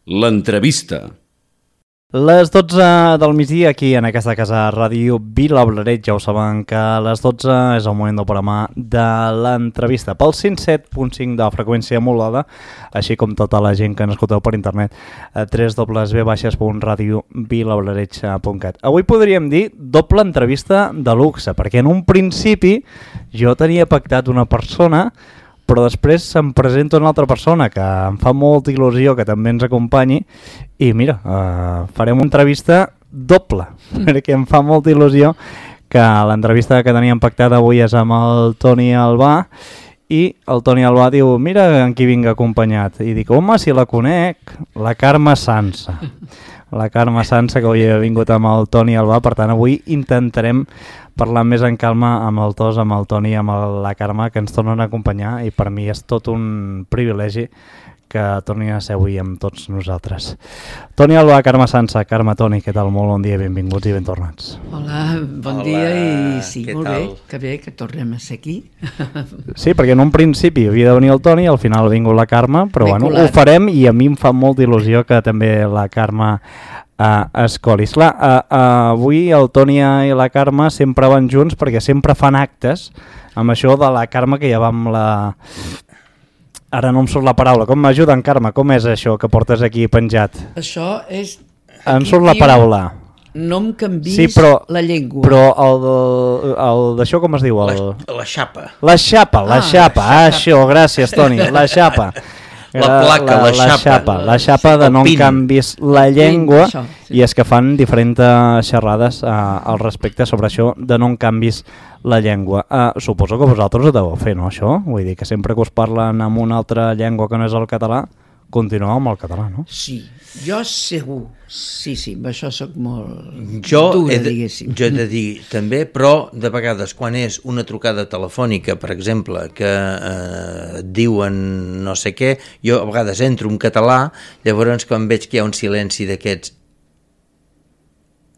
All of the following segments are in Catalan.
L'entrevista. Les 12 del migdia aquí en aquesta casa Ràdio Vilablareix. Ja ho saben que a les 12 és el moment del programa de l'entrevista pel 107.5 de freqüència modulada, així com tota la gent que ens escolteu per internet a www.radiovilablareix.cat. Avui podríem dir doble entrevista de luxe, perquè en un principi jo tenia pactat una persona, però després se'm presenta una altra persona que em fa molta il·lusió que també ens acompanyi i mira, farem una entrevista doble, perquè em fa molta il·lusió que l'entrevista que teníem pactada avui és amb el Toni Albà i el Toni Albà diu, mira en qui vinc acompanyat, i dic, home, si la conec, la Carme Sansa. La Carme Sansa, que avui ha vingut amb el Toni Albà, per tant avui intentarem parlar més en calma amb el Tos, amb el Toni, amb la Carme, que ens tornen a acompanyar, i per mi és tot un privilegi que tornin a ser avui amb tots nosaltres. Toni Albà, Carme Sansa. Carme, Toni, què tal? Molt bon dia, benvinguts i ben tornats. Hola, bon dia i sí, molt bé, que tornem a ser aquí. Sí, perquè en un principi havia de venir el Toni, al final ha vingut la Carme, però bueno, ho farem i a mi em fa molta il·lusió que també la Carme escolis. Clar, avui el Toni i la Carme sempre van junts perquè sempre fan actes amb això de la Carme, que ja vam la... Ara no em surt la paraula. Com m'ajuden, Carme? Com és això que portes aquí penjat? Això és... Em surt la paraula. No em canvis sí, però, la llengua. Però el d'això com es diu? La xapa. La xapa, això, gràcies, Toni, la xapa. La placa, la xapa de no em canvis la llengua, això, sí. I és que fan diferents xerrades al respecte sobre això de no em canvis la llengua. Suposo que vosaltres ho deveu fer, no, això? Vull dir que sempre que us parlen amb una altra llengua que no és el català, continueu amb el català, no? Sí, jo segur. Sí, amb això soc molt dura, diguéssim. Jo he de dir també, però de vegades quan és una trucada telefònica, per exemple, que diuen no sé què, jo a vegades entro en català, llavors quan veig que hi ha un silenci d'aquests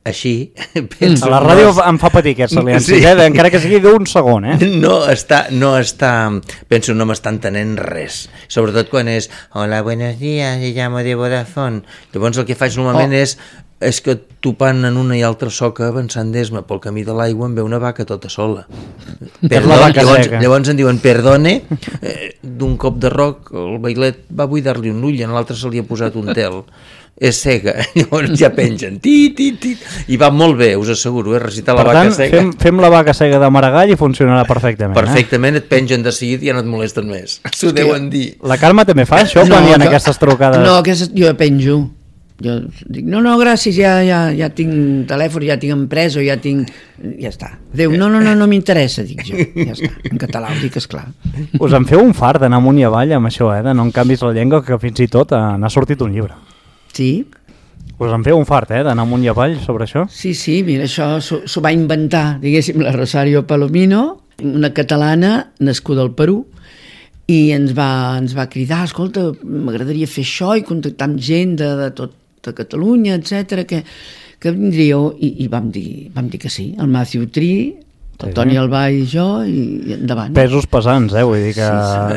així, penso... A la ràdio em fa patir aquest silenci, sí. Encara que sigui d'un segon, No està, penso, no m'està entenent res, sobretot quan és hola, buenos días, me llamo de Vodafone. Llavors el que faig normalment és que topant en una i altra soca, avançant d'esma pel camí de l'aigua, em ve una vaca tota sola. Llavors em diuen perdone, d'un cop de roc el bailet va buidar-li un ull, en l'altre se li ha posat un tel. És cega, llavors ja pengen i va molt bé, us asseguro, recitar la vaca cega. Per tant, fem la vaca cega de Maragall i funcionarà perfectament. Perfectament, et pengen de seguida i ja no et molesten més, s'ho deuen dir. La Carme també fa això quan hi ha aquestes trucades? No, jo penjo, jo dic, no, gràcies, ja tinc telèfon, ja tinc empresa, ja està. Déu, no m'interessa, dic jo, ja està, en català ho dic, esclar. Us en feu un fart d'anar amunt i avall amb això, de no em canvis la llengua, que fins i tot n'ha sortit un llibre. Sí. Us en feu un fart, d'anar amunt i avall sobre això? Sí, mira, això s'ho va inventar, diguéssim, la Rosario Palomino, una catalana nascuda al Perú, i ens va cridar, escolta, m'agradaria fer això i contactar amb gent de tota Catalunya, etc que vindríeu, i vam dir que sí, el Matthew Tree, el Toni Albà i jo, i endavant. Pesos pesants, vull dir que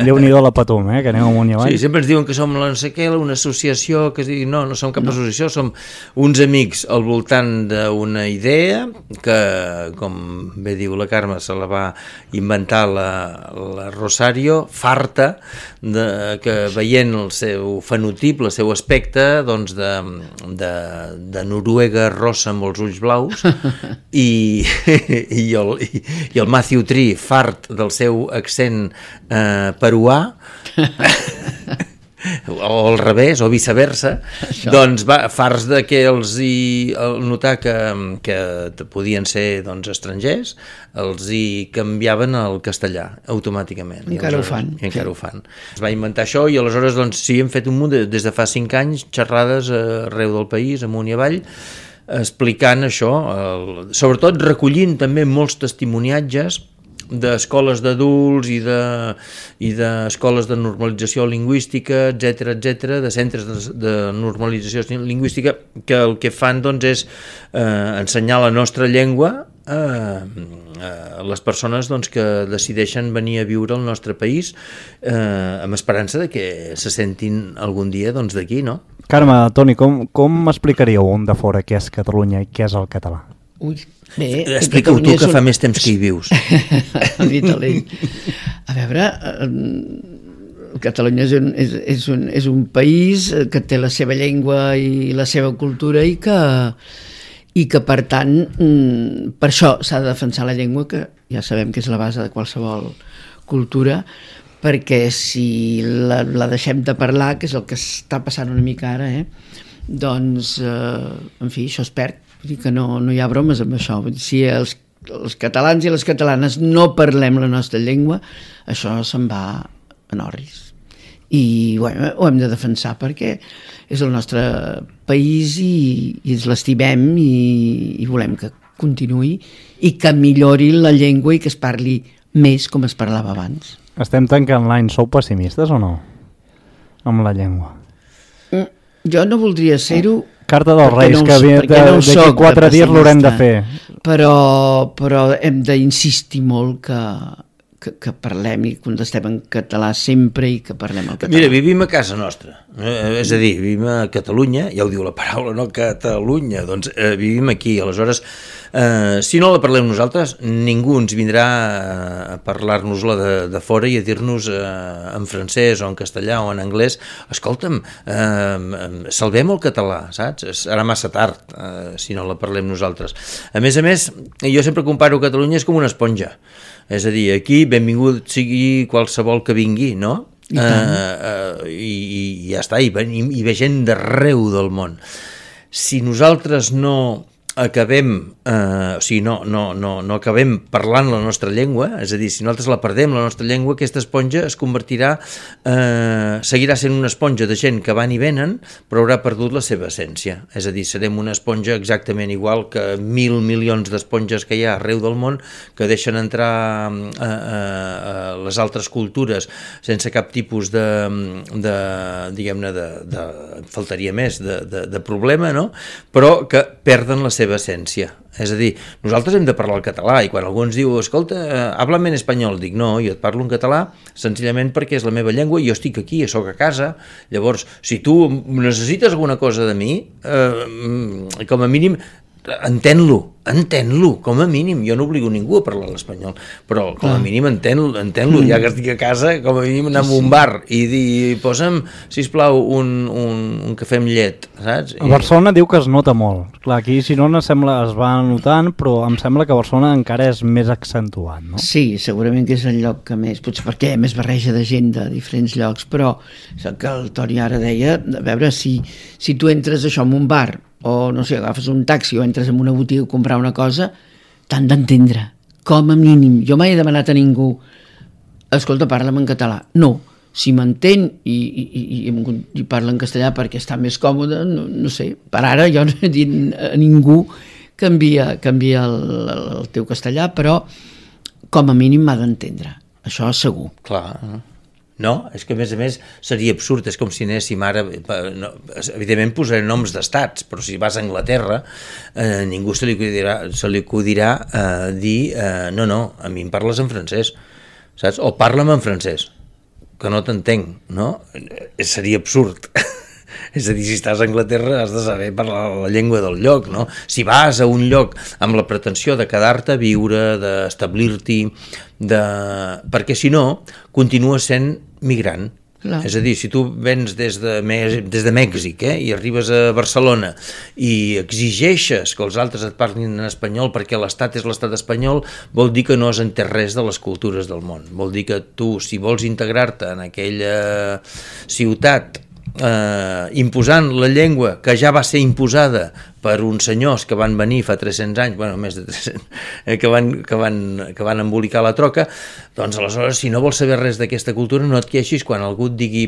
Déu-n'hi-do la patum, que aneu amunt i avall. Sí, sempre ens diuen que som no sé què, una associació, que es digui, no som cap associació, som uns amics al voltant d'una idea que, com bé diu la Carme, se la va inventar la Rosario, farta, que veient el seu fenotip, el seu aspecte, doncs de Noruega rossa amb els ulls blaus, i el Matthew Tree, fart del seu accent peruà, o al revés, o viceversa, doncs farts de que notar que podien ser estrangers, els hi canviaven al castellà automàticament. Encara ho fan. Es va inventar això i aleshores sí, hem fet un munt, des de fa 5 anys, xerrades arreu del país, amunt i avall, explicant això, sobretot recollint també molts testimoniatges d'escoles d'adults i d'escoles de normalització lingüística, etc, de centres de normalització lingüística, que el que fan és ensenyar la nostra llengua a les persones que decideixen venir a viure al nostre país amb esperança de que se sentin algun dia d'aquí, no? Carme, Toni, com explicaríeu un de fora què és Catalunya i què és el català? Ui, bé... Explica-ho tu, que fa més temps que hi vius. A veure, Catalunya és un país que té la seva llengua i la seva cultura i que per tant, per això s'ha de defensar la llengua, que ja sabem que és la base de qualsevol cultura, perquè si la deixem de parlar, que és el que està passant una mica ara, doncs, en fi, això es perd. Vull dir que no hi ha bromes amb això. Vull dir, si els catalans i les catalanes no parlem la nostra llengua, això se'n va en orris. I bueno, ho hem de defensar perquè és el nostre país i ens l'estimem i volem que continuï i que millori la llengua i que es parli més com es parlava abans. Estem tancant l'any, sou pessimistes o no? Amb la llengua. Jo no voldria ser-ho. Carta dels Reis, que d'aquí 4 dies l'haurem de fer. Però hem d'insistir molt que parlem i contestem en català sempre i que parlem el català. Mira, vivim a casa nostra, és a dir, vivim a Catalunya, ja ho diu la paraula, no? Catalunya, doncs vivim aquí, aleshores, si no la parlem nosaltres, ningú ens vindrà a parlar-nos-la de fora i a dir-nos en francès o en castellà o en anglès, escolta'm, salvem el català, saps? Serà massa tard si no la parlem nosaltres. A més, jo sempre comparo Catalunya és com una esponja. És a dir, aquí benvingut sigui qualsevol que vingui, no? I ja està, i ve gent d'arreu del món. Si nosaltres no acabem, o sigui, no acabem parlant la nostra llengua, és a dir, si nosaltres la perdem, la nostra llengua, aquesta esponja es convertirà, seguirà sent una esponja de gent que van i venen, però haurà perdut la seva essència. És a dir, serem una esponja exactament igual que 1.000 milions d'esponges que hi ha arreu del món, que deixen entrar les altres cultures sense cap tipus diguem-ne, faltaria més, de problema, no? Però que perden la seva essència. És a dir, nosaltres hem de parlar el català i quan algú ens diu, escolta, háblame en espanyol, dic, no, jo et parlo en català senzillament perquè és la meva llengua i jo estic aquí, sóc a casa, llavors, si tu necessites alguna cosa de mi, com a mínim, entén-lo, com a mínim. Jo no obligo ningú a parlar l'espanyol, però com a mínim entén-lo, ja que estic a casa, com a mínim anar a un bar i dir, posa'm, sisplau, un cafè amb llet, saps? A Barcelona diu que es nota molt. Clar, aquí si no es va notant, però em sembla que a Barcelona encara és més accentuat, no? Sí, segurament que és el lloc que més, potser perquè més barreja de gent de diferents llocs, però que el Toni ara deia, a veure, si tu entres això en un bar o no sé, agafes un taxi o entres en una botiga a comprar una cosa, t'han d'entendre, com a mínim. Jo mai he demanat a ningú, escolta, parla'm en català. No, si m'entén i parla en castellà perquè està més còmode, no sé, per ara jo no he dit a ningú canvia el teu castellà, però com a mínim m'ha d'entendre, això segur. Clar, no? És que a més seria absurd, és com si anéssim ara, evidentment posaré noms d'estats, però si vas a Anglaterra ningú se li acudirà dir no, a mi em parles en francès, saps? O parla'm en francès, que no t'entenc, no? Seria absurd. És a dir, si estàs a Anglaterra has de saber parlar la llengua del lloc, no? Si vas a un lloc amb la pretensió de quedar-te a viure, d'establir-t'hi, perquè si no, continues sent migrant. Clar. És a dir, si tu vens des de Mèxic i arribes a Barcelona i exigeixes que els altres et parlin en espanyol perquè l'estat és l'estat espanyol, vol dir que no has entès res de les cultures del món. Vol dir que tu, si vols integrar-te en aquella ciutat imposant la llengua que ja va ser imposada per uns senyors que van venir fa 300 anys, bueno, més de 300, que van embolicar la troca, doncs aleshores, si no vols saber res d'aquesta cultura, no et queixis quan algú et digui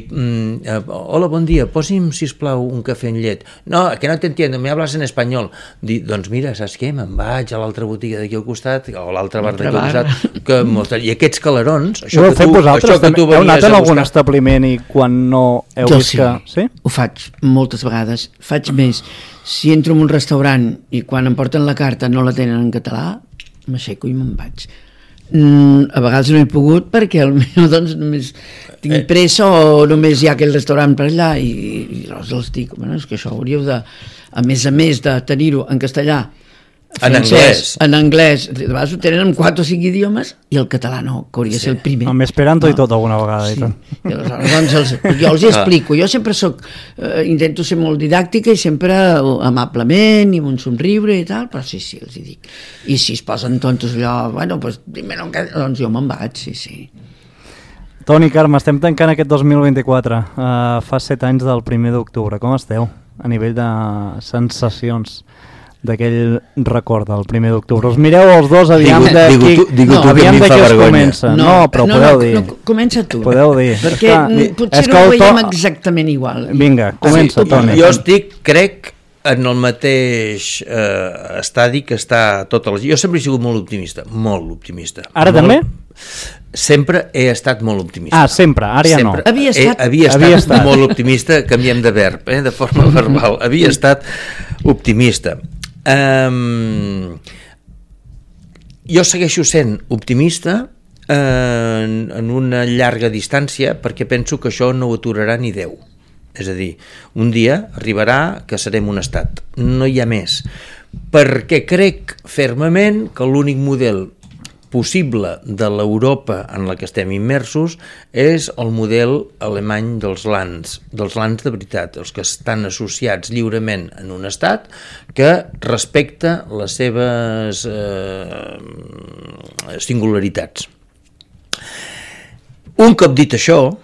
hola, bon dia, posi'm, sisplau, un cafè amb llet. No, que no t'entiendo, me hablas en espanyol. Doncs mira, saps què? Me'n vaig a l'altra botiga d'aquí al costat, o a l'altre bar d'aquí al costat, i aquests calarons, això que tu heu anat en algun establiment i quan no heu vist que... Sí, ho faig moltes vegades, faig més. Si entro en un restaurant i quan em porten la carta no la tenen en català, m'aixeco i me'n vaig. A vegades no he pogut perquè potser doncs només tinc pressa o només hi ha aquell restaurant per allà i llavors els dic, bueno, és que això hauríeu de, a més de tenir-ho en castellà, francès, en anglès, de vegades ho tenen en 4 o 5 idiomes i el català no, que hauria de ser el primer. Amb esperanto i tot alguna vegada. Sí. I aleshores, doncs, jo els hi explico, jo sempre intento ser molt didàctica i sempre amablement i amb un somriure i tal, però sí, els hi dic. I si es posen tontos allò, bueno, doncs, doncs jo me'n vaig, sí. Toni, Carme, estem tancant aquest 2024. Fa 7 anys del 1 d'octubre. Com esteu a nivell de sensacions d'aquell record del 1 d'octubre? Us mireu els dos, aviam de qui es comença. No, però podeu dir. No, comença tu. Podeu dir. Perquè potser no ho veiem exactament igual. Vinga, comença, Toni. Jo crec, en el mateix estadi que està tota la gent. Jo sempre he sigut molt optimista. Ara també? Sempre he estat molt optimista. Sempre, ara ja no. Havia estat molt optimista, canviem de verb, de forma verbal. Havia estat optimista. Jo segueixo sent optimista en una llarga distància perquè penso que això no ho aturarà ni Déu. És a dir, un dia arribarà que serem un estat. No hi ha més. Perquè crec fermament que l'únic model possible de l'Europa en la que estem immersos és el model alemany dels lands de veritat, els que estan associats lliurement en un estat que respecta les seves singularitats. Un cop dit això,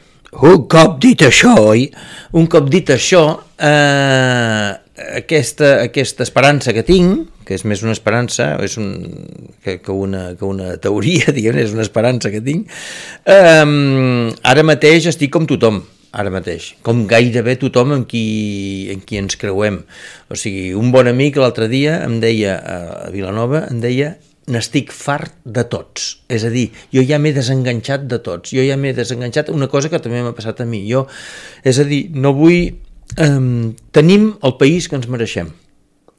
aquesta esperança que tinc, que és més una esperança que una teoria, diguem, és una esperança que tinc, ara mateix estic com tothom, com gairebé tothom amb qui ens creuem. O sigui, un bon amic l'altre dia em deia, a Vilanova, n'estic fart de tots. És a dir, jo ja m'he desenganxat de tots. Una cosa que també m'ha passat a mi. És a dir, no vull... tenim el país que ens mereixem.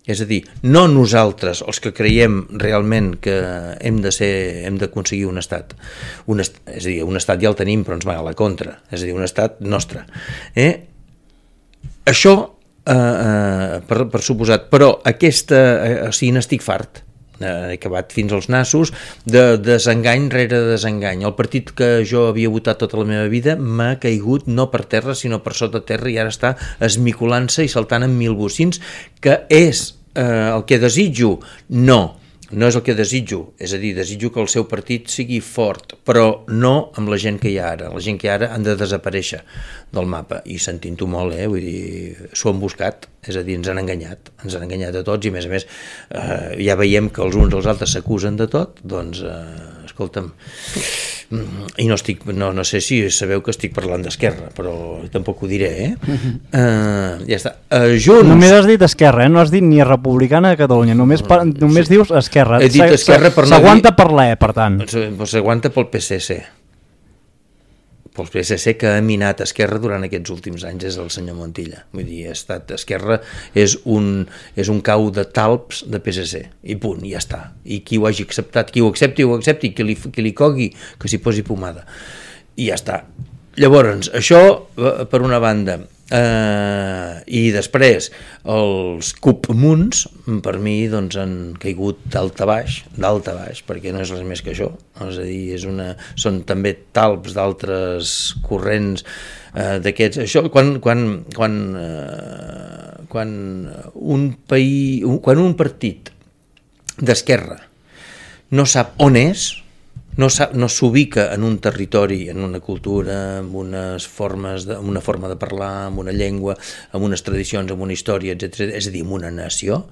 És a dir, no nosaltres, els que creiem realment que hem d'aconseguir un estat. És a dir, un estat ja el tenim, però ens va a la contra. És a dir, un estat nostre. Això, per suposat, però n'estic fart. He acabat fins als nassos de desengany rere desengany. El partit que jo havia votat tota la meva vida m'ha caigut no per terra sinó per sota terra i ara està esmicolant-se i saltant en mil bocins, que és el que desitjo? No és el que desitjo, és a dir, desitjo que el seu partit sigui fort, però no amb la gent que hi ha ara. La gent que hi ha ara han de desaparèixer del mapa, i sentint-ho molt, vull dir, s'ho han buscat, és a dir, ens han enganyat a tots, i a més ja veiem que els uns als altres s'acusen de tot, doncs, escolta'm, i no sé si sabeu que estic parlant d'Esquerra, però tampoc ho diré, ja està. Junts... Només has dit Esquerra, no has dit ni Republicana de Catalunya, només dius Esquerra. He dit Esquerra per no dir... S'aguanta per l'E, per tant. S'aguanta pel PSC. Pel PSC que ha minat Esquerra durant aquests últims anys és el senyor Montilla. Vull dir, Esquerra és un cau de talps de PSC, i punt, i ja està. I qui ho hagi acceptat, qui ho accepti, qui li cogui, que s'hi posi pomada. I ja està. Llavors, això per una banda, i després els comuns per mi doncs han caigut dalt a baix, perquè no és res més que això, és a dir, són també talps d'altres corrents d'aquests. Això quan un partit d'esquerra no sap on és, no s'ubica en un territori, en una cultura, amb amb una forma de parlar, amb una llengua, amb unes tradicions, amb una història, etc. És a dir, amb una nació,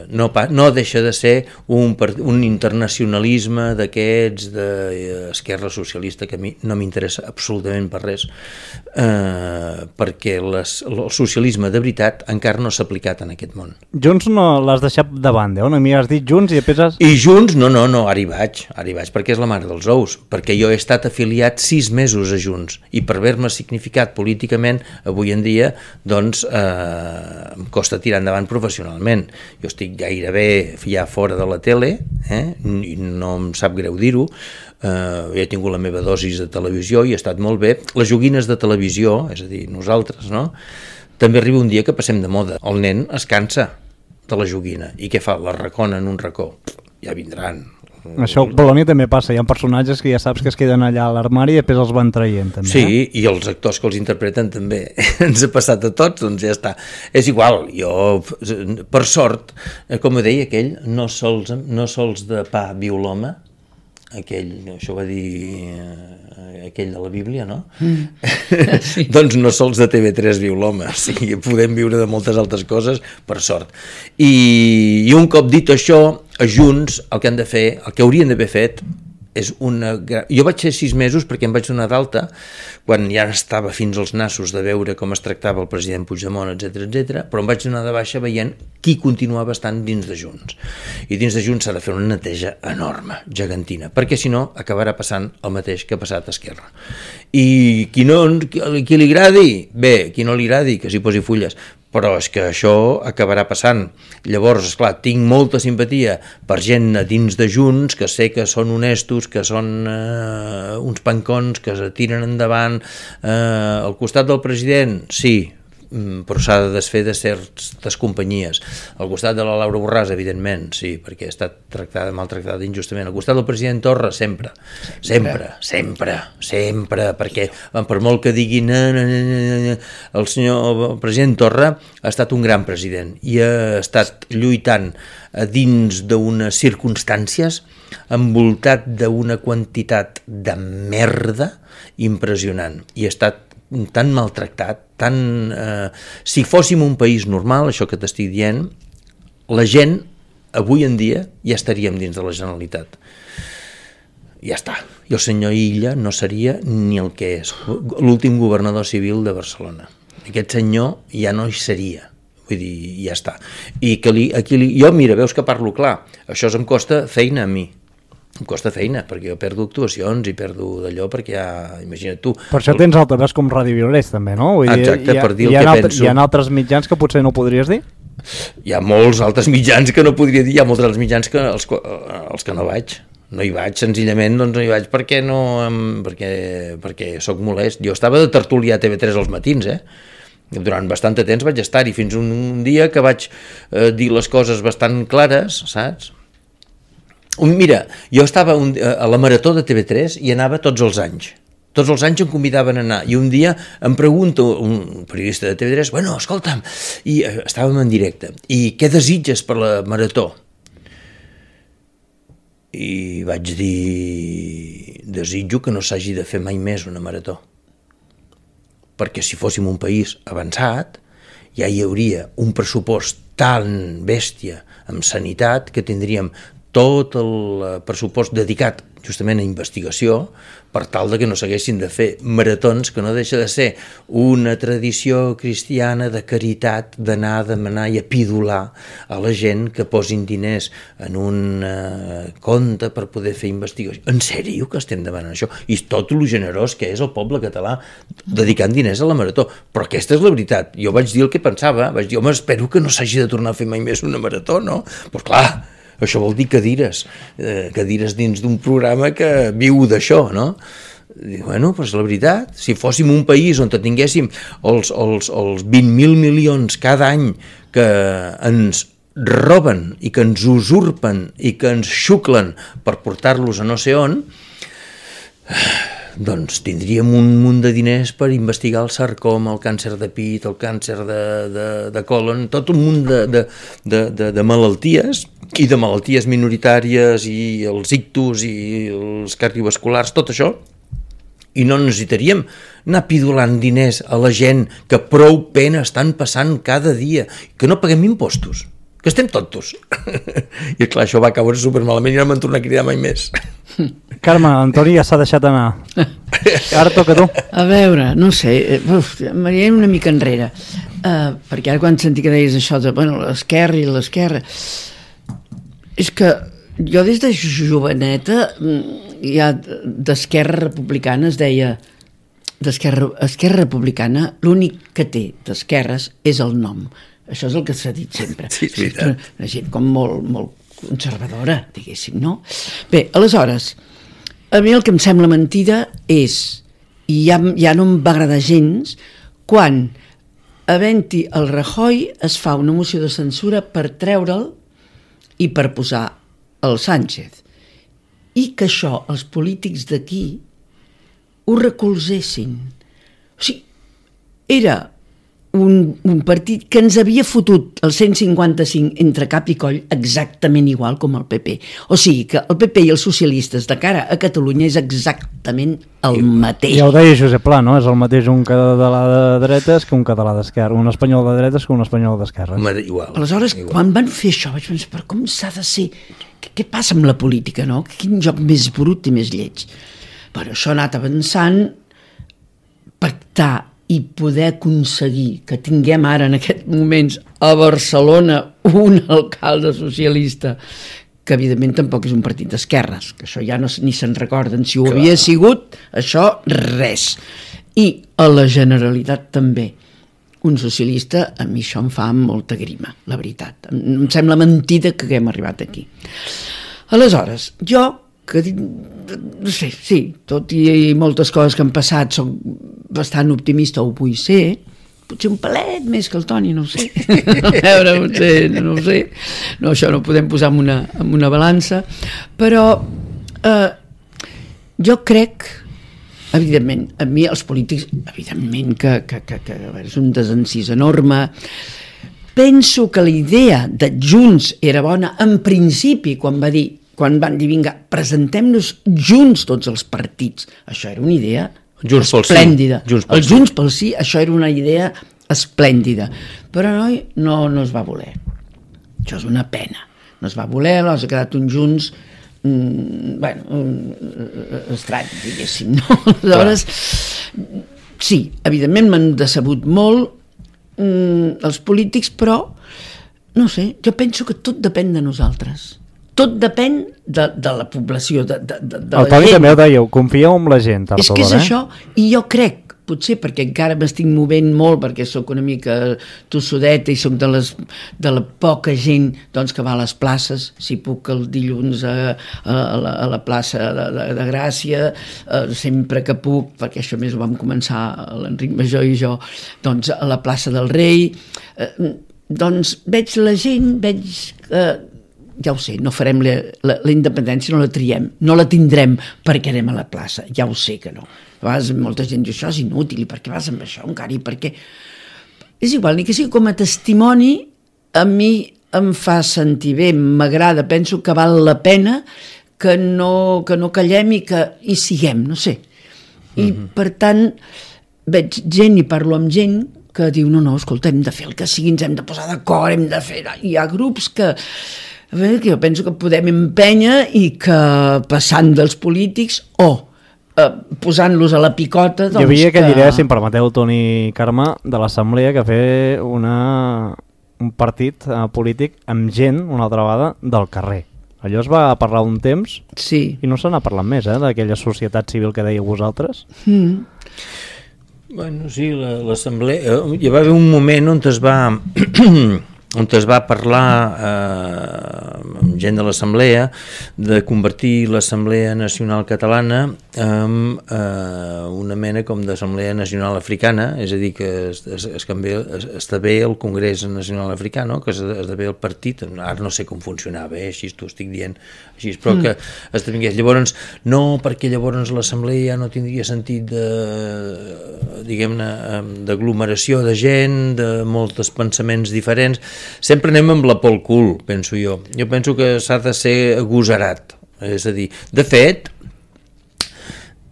no deixa de ser un internacionalisme d'aquests d'esquerra socialista que a mi no m'interessa absolutament per res, perquè el socialisme de veritat encara no s'ha aplicat en aquest món. Junts no l'has deixat de banda, on a mi has dit Junts i després I Junts, no, ara hi vaig perquè és la mare dels ous, perquè jo he estat afiliat 6 mesos a Junts i per haver-me significat políticament avui en dia, doncs em costa tirar endavant professionalment. Jo estic gairebé ja fora de la tele, i no em sap greu dir-ho, he tingut la meva dosis de televisió i ha estat molt bé. Les joguines de televisió, és a dir, nosaltres, no? També arriba un dia que passem de moda. El nen es cansa de la joguina. I què fa? La racona en un racó. Ja vindran. Això a Polònia també passa. Hi ha personatges que ja saps que es queden allà a l'armari i després els van traient. També, sí, i els actors que els interpreten també. Ens ha passat a tots, doncs ja està. És igual, jo, per sort, com ho deia aquell, no sols de pa viu l'home, això va dir aquell de la Bíblia, no? Sí. Doncs no sols de TV3 viu l'home, o sigui, podem viure de moltes altres coses, per sort. I un cop dit això, a Junts el que han de fer, el que haurien d'haver fet, és una... Jo vaig ser 6 mesos perquè em vaig donar d'alta quan ja estava fins als nassos de veure com es tractava el president Puigdemont, etc, però em vaig donar de baixa veient qui continuava estant dins de Junts. I dins de Junts s'ha de fer una neteja enorme, gegantina, perquè si no acabarà passant el mateix que ha passat a Esquerra. I qui li agradi, bé, qui no li agradi, que s'hi posi fulles, però és que això acabarà passant. Llavors, esclar, tinc molta simpatia per gent a dins de Junts, que sé que són honestos, que són uns pancons, que es tiren endavant. Al costat del president, sí, però s'ha de desfer de certes companyies. Al costat de la Laura Borràs, evidentment, sí, perquè ha estat maltractada injustament. Al costat del president Torra, sempre, perquè per molt que diguin el president Torra ha estat un gran president i ha estat lluitant dins d'unes circumstàncies envoltat d'una quantitat de merda impressionant i ha estat tan maltractat, si fóssim un país normal, això que t'estic dient, la gent avui en dia ja estaríem dins de la Generalitat. Ja està. I el senyor Illa no seria ni el que és l'últim governador civil de Barcelona. Aquest senyor ja no hi seria. Vull dir, ja està. I jo, mira, veus que parlo clar, això em costa feina a mi. Em costa feina, perquè jo perdo actuacions i perdo d'allò, perquè ja, imagina't tu... Per això tens altaveus com Ràdio Violets, també, no? Vull dir, exacte, per dir el que penso. Hi ha altres mitjans que potser no podries dir? Hi ha molts altres mitjans que no podria dir, hi ha molts altres mitjans que els que no vaig. No hi vaig, senzillament, doncs no hi vaig perquè sóc molest. Jo estava de tertulià a TV3 als matins, Durant bastant de temps vaig estar-hi, fins un dia que vaig dir les coses bastant clares, saps? Mira, jo estava a la Marató de TV3 i anava tots els anys. Tots els anys em convidaven a anar. I un dia em pregunta un periodista de TV3, bueno, escolta'm, i estàvem en directe, i què desitges per la Marató? I vaig dir, desitjo que no s'hagi de fer mai més una Marató. Perquè si fóssim un país avançat, ja hi hauria un pressupost tan bèstia en sanitat que tindríem tot el pressupost dedicat justament a investigació per tal de que no s'haguessin de fer maratons, que no deixa de ser una tradició cristiana de caritat, d'anar a demanar i a pidolar a la gent que posin diners en un compte per poder fer investigació. En sèrio que estem demanant això? I tot lo generós que és el poble català dedicant diners a la marató. Però aquesta és la veritat. Jo vaig dir el que pensava, vaig dir, home, espero que no s'hagi de tornar a fer mai més una marató, no? Doncs clar, això vol dir cadires dins d'un programa que viu d'això, no? Bueno, doncs la veritat, si fóssim un país on tinguéssim els 20.000 milions cada any que ens roben i que ens usurpen i que ens xuclen per portar-los a no sé on, doncs tindríem un munt de diners per investigar el sarcoma, el càncer de pit, el càncer de colon, tot un munt de malalties i de malalties minoritàries i els ictus i els cardiovasculars, tot això, i no necessitaríem anar pidolant diners a la gent que prou pena estan passant cada dia, que no paguem impostos, que estem tontos. I clar, això va caure supermalament i no m'han tornat a cridar mai més. Carme, Antoni ja s'ha deixat anar. Ara toca tu. A veure, no sé, m'anirem una mica enrere, perquè ara quan senti que deies això de l'esquerra i l'esquerra, és que jo des de joveneta ja d'Esquerra Republicana es deia Esquerra Republicana, l'únic que té d'esquerres és el nom. Això és el que s'ha dit sempre. Sí, és veritat. Una gent com molt conservadora, diguéssim, no? Bé, aleshores, A mi el que em sembla mentida és, i ja no em va agradar gens, quan havent-hi el Rajoy es fa una moció de censura per treure'l i per posar el Sánchez. I que això els polítics d'aquí ho recolzessin. O sigui, era un partit que ens havia fotut el 155 entre cap i coll exactament igual com el PP. O sigui que el PP i els socialistes de cara a Catalunya és exactament el mateix. Ja ho deia Josep Pla, no? És el mateix un català de dretes que un català d'esquerra, un espanyol de dretes que un espanyol d'esquerra. Igual. Aleshores, quan van fer això, vaig pensar, però com s'ha de ser? Què passa amb la política, no? Quin joc més brut i més lleig. Però això ha anat avançant, pactar i poder aconseguir que tinguem ara en aquests moments a Barcelona un alcalde socialista que evidentment tampoc és un partit d'esquerres, que això ja ni se'n recorden, si ho havia sigut, això res. I a la Generalitat també, un socialista, a mi això em fa molta grima, la veritat. Em sembla mentida que haguem arribat aquí. Aleshores, jo que no sé, sí, tot i moltes coses que han passat soc bastant optimista, ho vull ser, potser un palet més que el Toni, no ho sé. A veure, no ho sé. No, això no ho podem posar en una balança, però jo crec, evidentment, a mi els polítics, evidentment que és un desencís enorme. Penso que la idea de Junts era bona en principi, quan van dir, vinga, presentem-nos junts tots els partits. Això era una idea esplèndida. El Junts pel Sí, això era una idea esplèndida. Però no es va voler. Això és una pena. No es va voler, ha quedat un Junts estrany, diguéssim. No? Aleshores, sí, evidentment m'han decebut molt els polítics, però no sé, jo penso que tot depèn de nosaltres. Tot depèn de la població, de la gent. El Toni també ho dèieu, confieu en la gent. És que és això, i jo crec, potser perquè encara m'estic movent molt, perquè sóc una mica tossudeta i sóc de la poca gent doncs, que va a les places, si puc el dilluns a la plaça de Gràcia, sempre que puc, perquè això més ho vam començar l'Enric Major i jo, doncs a la plaça del Rei, doncs veig la gent, ja ho sé, no farem la independència, no la triem, no la tindrem perquè anem a la plaça, ja ho sé que no. A vegades molta gent diu, això és inútil, i per què vas amb això encara, i per què? És igual, ni que sigui com a testimoni, a mi em fa sentir bé, m'agrada, penso que val la pena que no callem i que hi siguem, no sé. I per tant, veig gent i parlo amb gent que diu, no, escolta, hem de fer el que sigui, ens hem de posar d'acord, hem de fer... Hi ha grups que jo penso que podem empènyer i que passant dels polítics o posant-los a la picota... Hi havia aquella idea, si em permeteu, Toni i Carme, de l'Assemblea que fer un partit polític amb gent, una altra vegada, del carrer. Allò es va parlar un temps sí. I no se n'ha parlat més, d'aquella societat civil que dèieu vosaltres. Bueno, sí, l'Assemblea... Hi va haver un moment on es va parlar amb gent de l'Assemblea de convertir l'Assemblea Nacional Catalana en una mena com d'Assemblea Nacional Africana, és a dir, que esdevé el Congrés Nacional Africà, no? Que esdevé el partit, ara no sé com funcionava, així t'ho estic dient, així, però que esdevingués. Llavors, no, perquè llavors l'Assemblea ja no tindria sentit diguem-ne, d'aglomeració de gent, de molts pensaments diferents. Sempre anem amb la pel cul, penso jo. Jo penso que s'ha de ser agosarat. És a dir, de fet,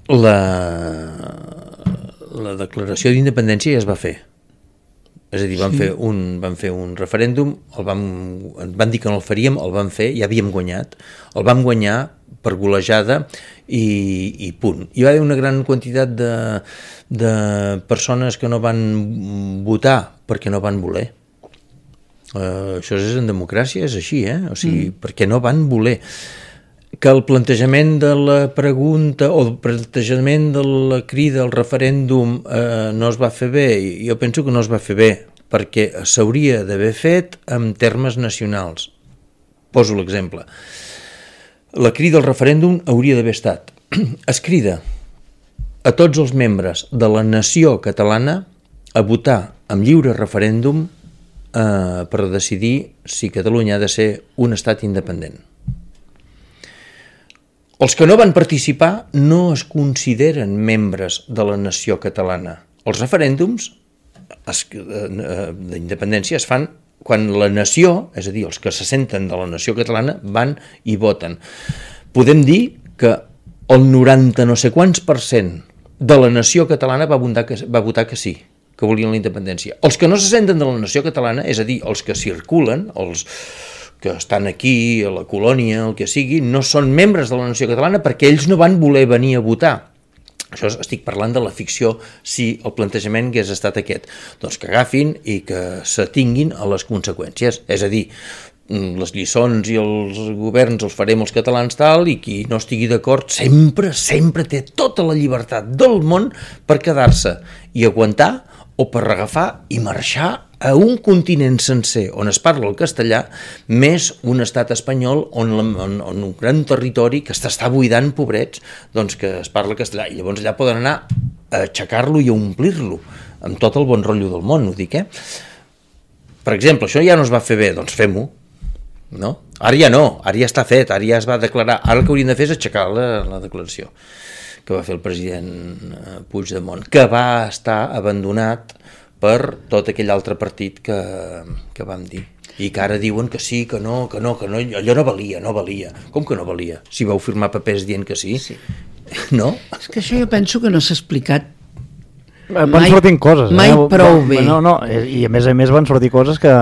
la declaració d'independència ja es va fer. És a dir, van fer un referèndum, van dir que no el faríem, el van fer, ja havíem guanyat, el vam guanyar per golejada i punt. Hi va haver una gran quantitat de persones que no van votar perquè no van voler. Això és en democràcia, és així, o sigui, perquè no van voler. Que el plantejament de la pregunta o el plantejament de la crida al referèndum no es va fer bé, jo penso que no es va fer bé, perquè s'hauria d'haver fet en termes nacionals. Poso l'exemple. La crida al referèndum hauria d'haver estat es crida a tots els membres de la nació catalana a votar amb lliure referèndum per decidir si Catalunya ha de ser un estat independent. Els que no van participar no es consideren membres de la nació catalana. Els referèndums d'independència es fan quan la nació, és a dir, els que se senten de la nació catalana, van i voten. Podem dir que el 90 no sé quants % de la nació catalana va votar que sí, que volien la independència. Els que no se senten de la nació catalana, és a dir, els que circulen, els que estan aquí, a la colònia, el que sigui, no són membres de la nació catalana perquè ells no van voler venir a votar. Això estic parlant de la ficció si el plantejament hagués estat aquest. Doncs que agafin i que s'atinguin a les conseqüències. És a dir, les lliçons i els governs els farem els catalans tal, i qui no estigui d'acord sempre té tota la llibertat del món per quedar-se i aguantar o per agafar i marxar a un continent sencer on es parla el castellà, més un estat espanyol on un gran territori que està buidant, pobrets, doncs que es parla castellà. I llavors allà poden anar a aixecar-lo i a omplir-lo, amb tot el bon rotllo del món, ho dic, Per exemple, això ja no es va fer bé, doncs fem-ho, no? Ara ja no, ara ja està fet, ara ja es va declarar, ara el que hauríem de fer és aixecar la declaració que va fer el president Puigdemont, que va estar abandonat per tot aquell altre partit que vam dir. I que ara diuen que sí, que no, allò no valia. Com que no valia? Si vau firmar papers dient que sí. No? És que això jo penso que no s'ha explicat van sortint coses. Mai prou bé. No, i a més van sortir coses que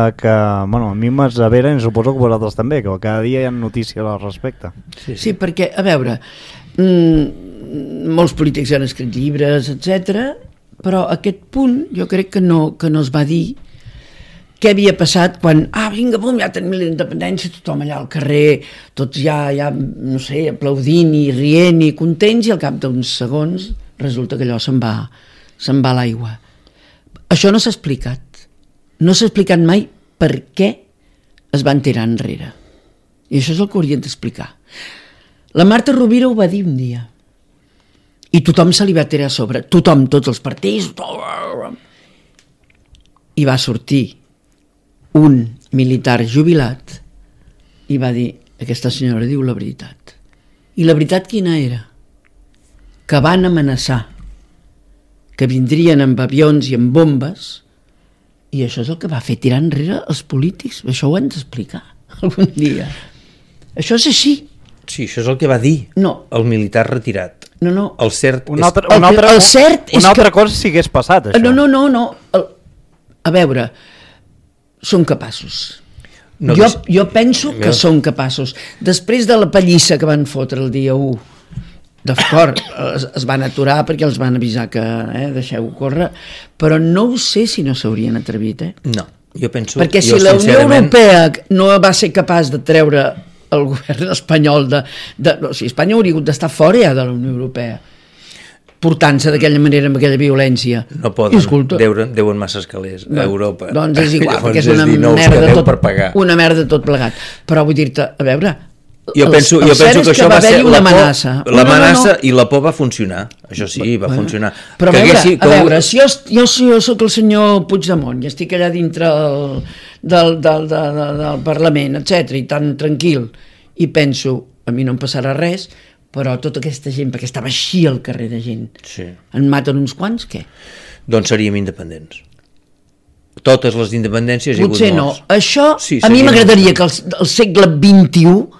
bueno, a mi m'asseveren i suposo que vosaltres també, que cada dia hi ha notícies al respecte. Sí, perquè, a veure, molts polítics han escrit llibres, etc. Però a aquest punt jo crec que no es va dir què havia passat quan, vinga, bum, ja tenim la independència, tothom allà al carrer, tots ja no sé, aplaudint i rient i contents, i al cap d'uns segons resulta que allò se'n va a l'aigua. Això no s'ha explicat. No s'ha explicat mai per què es van tirar enrere. I això és el que haurien d'explicar. La Marta Rovira ho va dir un dia. I tothom se li va tirar a sobre. Tothom, tots els partits. I va sortir un militar jubilat i va dir, aquesta senyora diu la veritat. I la veritat quina era? Que van amenaçar que vindrien amb avions i amb bombes, i això és el que va fer tirar enrere els polítics. Això ho han d'explicar algun dia. Això és així. Sí, això és el que va dir el militar retirat. No. El cert una altra cosa si hagués passat, això. No. A veure, són capaços. Jo penso que són capaços. Després de la pallissa que van fotre el dia 1, d'acord, es van aturar perquè els van avisar que deixeu-ho córrer, però no ho sé si no s'haurien atrevit. No, jo penso... Perquè si la Unió Europea no va ser capaç de treure el govern espanyol o sigui, Espanya hauria hagut d'estar fora ja de la Unió Europea, portant-se d'aquella manera amb aquella violència. No poden, deuen massa escalers a Europa. Doncs és igual, perquè és una merda tot plegat. Però vull dir-te, a veure, jo penso que això va ser l'amenaça i la por va funcionar. Això sí, va funcionar. Però a veure, si jo soc el senyor Puigdemont i estic allà dintre del Parlament, etc, i tan tranquil, i penso, a mi no em passarà res, però tota aquesta gent, perquè estava així al carrer de gent, en maten uns quants, què? Doncs seríem independents. Totes les independències hi ha hagut morts. Potser no. Això, a mi m'agradaria que al segle XXI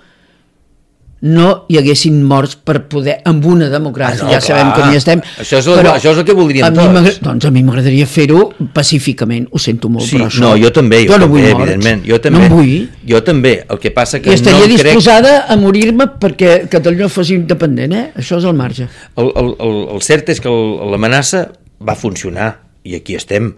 no hi haguessin morts per poder, amb una democràcia, ja sabem com hi estem. Això és el que voldríem tots. Doncs a mi m'agradaria fer-ho pacíficament, ho sento molt, però això... No, jo també, evidentment. No em vull. Jo també, el que passa que I estaria disposada a morir-me perquè Catalunya fos independent, això és el marge. El cert és que l'amenaça va funcionar, i aquí estem.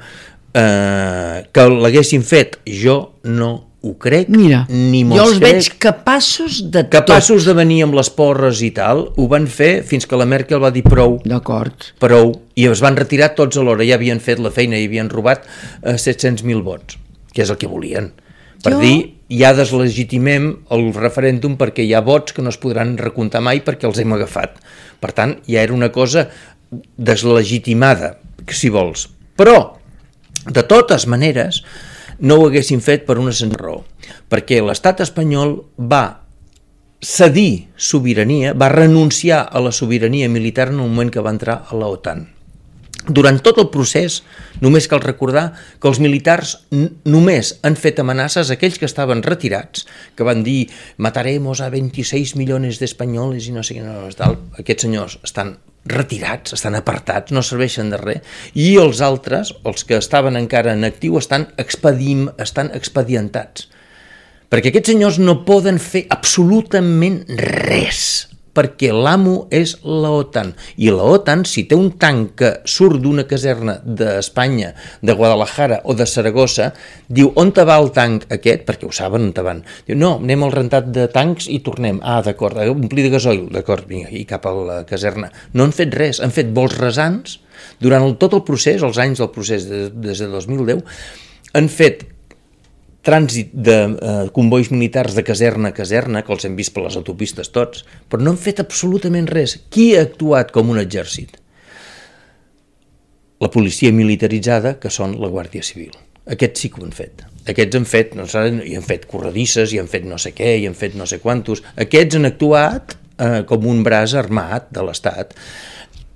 Que l'haguessin fet, jo no ho crec, ni mos jo els veig capaços de capaços de venir amb les porres i tal, ho van fer fins que la Merkel va dir prou, i es van retirar tots alhora, ja havien fet la feina i havien robat 700.000 vots, que és el que volien, per dir ja deslegitimem el referèndum perquè hi ha vots que no es podran recomptar mai perquè els hem agafat. Per tant, ja era una cosa deslegitimada, si vols. Però, de totes maneres, no ho haguessin fet per una senzilla raó, perquè l'estat espanyol va cedir sobirania, va renunciar a la sobirania militar en el moment que va entrar a la OTAN. Durant tot el procés, només cal recordar que els militars només han fet amenaces a aquells que estaven retirats, que van dir mataremos a 26 millones d'espanyoles i no sé què, aquests senyors estan retirats, estan apartats, no serveixen de res, i els altres, els que estaven encara en actiu, estan expedientats. Perquè aquests senyors no poden fer absolutament res, perquè l'amo és la OTAN. I la OTAN, si té un tanc que surt d'una caserna d'Espanya, de Guadalajara o de Saragossa, diu, on te va el tanc aquest? Perquè ho saben on te van. Diu, no, anem al rentat de tancs i tornem. Ah, d'acord, omplir de gasoil. D'acord, vinga, i cap a la caserna. No han fet res, han fet vols rasants. Durant tot el procés, els anys del procés, des de 2010, han fet trànsit de convois militars de caserna a caserna, que els hem vist per les autopistes tots, però no han fet absolutament res. Qui ha actuat com un exèrcit? La policia militaritzada, que són la Guàrdia Civil. Aquests sí que ho han fet. Aquests han fet, no saben, i han fet corredisses, i han fet no sé què, i han fet no sé quantos. Aquests han actuat com un braç armat de l'Estat.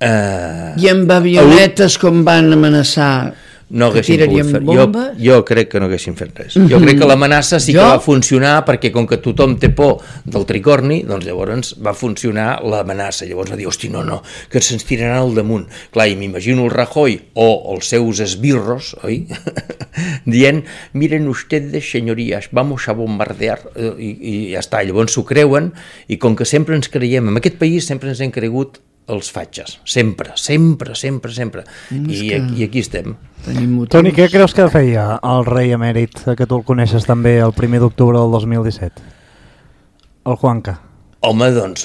I amb avionetes com van amenaçar no haguessin pogut fer. Jo crec que no haguessin fet res. Jo crec que l'amenaça sí que va funcionar perquè com que tothom té por del tricorni, doncs llavors va funcionar l'amenaça. Llavors va dir, hosti, no, que se'ns tiraran al damunt. Clar, i m'imagino el Rajoy o els seus esbirros, oi? Dient, miren ustedes, señorías, vamos a bombardear, i ja està. Llavors s'ho creuen, i com que sempre ens creiem, en aquest país sempre ens hem cregut els fatxes, sempre. I aquí estem. Toni, què creus que feia el rei emèrit, que tu el coneixes també, el 1 d'octubre del 2017? El Juanca. Home, doncs,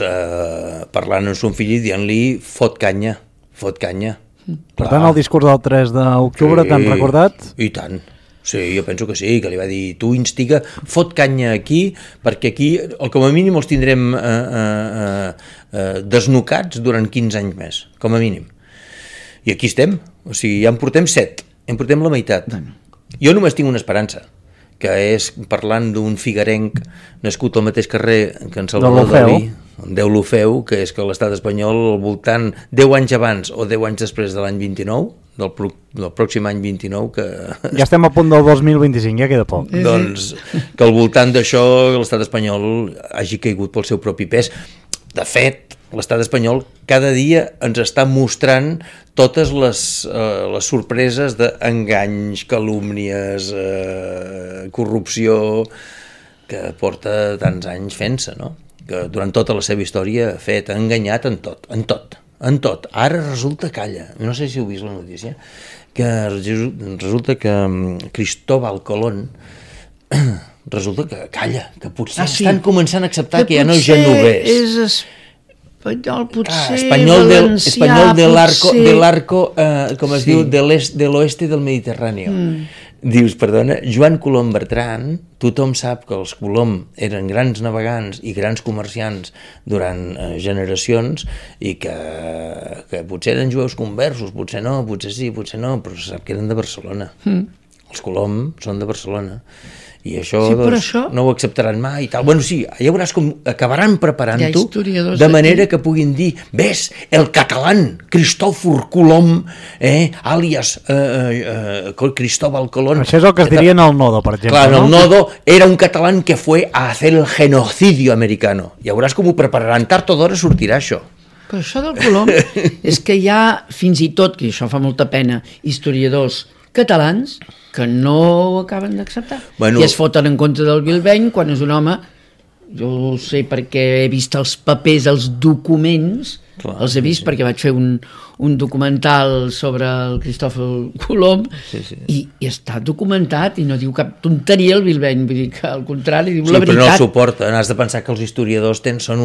parlant amb son fill i dient-li fot canya. Per tant, el discurs del 3 d'octubre t'han recordat? I tant. Sí, jo penso que sí, que li va dir, tu instiga, fot canya aquí, perquè aquí, com a mínim, els tindrem desnucats durant 15 anys més, com a mínim. I aquí estem, o sigui, ja en portem 7, en portem la meitat. Jo només tinc una esperança, que és, parlant d'un figuerenc nascut al mateix carrer que en Salvador Dalí, Deulofeu, que és que l'estat espanyol, al voltant 10 anys abans o 10 anys després de l'any 29, del pròxim any 29, que... Ja estem a punt del 2025, ja queda poc. Doncs que al voltant d'això l'estat espanyol hagi caigut pel seu propi pes. De fet, l'estat espanyol cada dia ens està mostrant totes les sorpreses d'enganys, calúmnies, corrupció, que porta tants anys fent-se, no? Que durant tota la seva història ha enganyat en tot. Ara resulta, calla, no sé si heu vist la notícia, que resulta que Cristóbal Colón resulta que calla, que potser estan començant a acceptar que ja no és genovès. És espanyol, potser valencià, espanyol del arco, com es diu, de l'oeste del Mediterrani. Dius, perdona, Joan Colom Bertran, tothom sap que els Colom eren grans navegants i grans comerciants durant generacions i que potser eren jueus conversos, potser no, potser sí, potser no, però sap que eren de Barcelona. Els Colom són de Barcelona. I això, sí, doncs, això no ho acceptaran mai i tal. Bueno, sí, ja veuràs com acabaran preparant-ho de manera que puguin dir, ves, el català Cristòfor Colom, àlies Cristóbal Colón. Això és el que es diria en el Nodo, per exemple. Clar, en el Nodo era un català que fue a hacer el genocidio americano. Ja veuràs com ho prepararan, tard o d'hora sortirà això. Però això del Colom és que hi ha, fins i tot, que això fa molta pena, historiadors catalans que no ho acaben d'acceptar. I es foten en contra del Bilbeny quan és un home, jo ho sé perquè he vist els papers, els documents Els he vist perquè vaig fer un documental sobre el Cristòfor Colom i està documentat i no diu cap tonteria el Bilbeny, vull dir que al contrari diu la veritat. Però no el suporten, has de pensar que els historiadors són